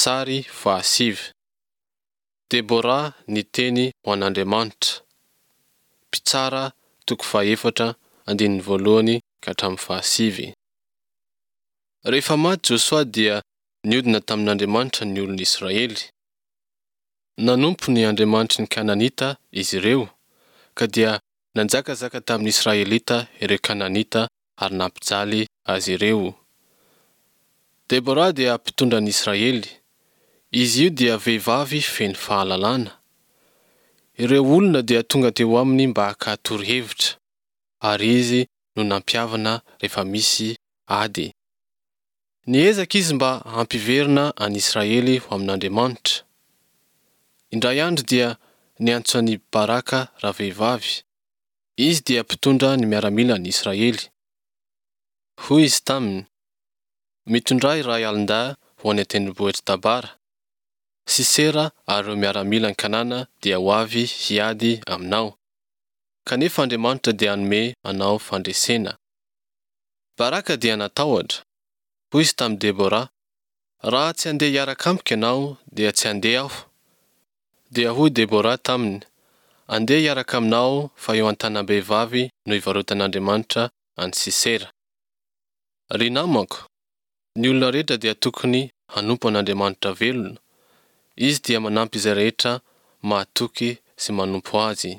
Sary fahasivy. Debora niteny ho an'Andriamanitra. Mpitsara toko fahaefatra andininy voalohany ka hatramin'ny fahasivy. Rehefa maty Josoa dia niodina tamin'Andriamanitra ny olon'Israely. Nanompo ny andriamanitry ny Kananita izy ireo, ka dia nanjakazaka tamin'ny Israelita ireo Kananita ary nampijaly azy ireo. Debora dia mpitondra ny Israely. Izy io dia vehivavy feno fahalalana. Ireo olona dia tonga teo aminy mba haka torohevitra, ary izy no nampihavana rehefa misy ady. Niezaka izy mba hampiverina an'i Israely ho amin'Andriamanitra. Indray andro dia niantso an'i Baraka ravehivavy. Izy dia mpitondra ny miaramilan'i Israely. Hoy izy taminy, Mitondrà iray alin-dahy ho any an-tendrombohitr'i Tabara. Sisera ary ireo miaramilan'i Kanana dia ho avy hiady aminao. Kanefa Andriamanitra dia hanome anao fandresena. Baraka dia natahotra. Hoy izy tamin'i Debora, Raha tsy handeha hiaraka amiko ianao, dia tsy handeha aho. Dia hoy Debora taminy, Andeha hiaraka aminao fa eo an-tanam-behivavy no ivarotan'Andriamanitra an'i Sisera. Ry namako, ny olona rehetra dia tokony hanompo an'Andriamanitra velona. Izy dia manampy izay rehetra mahatoky sy manompo Azy.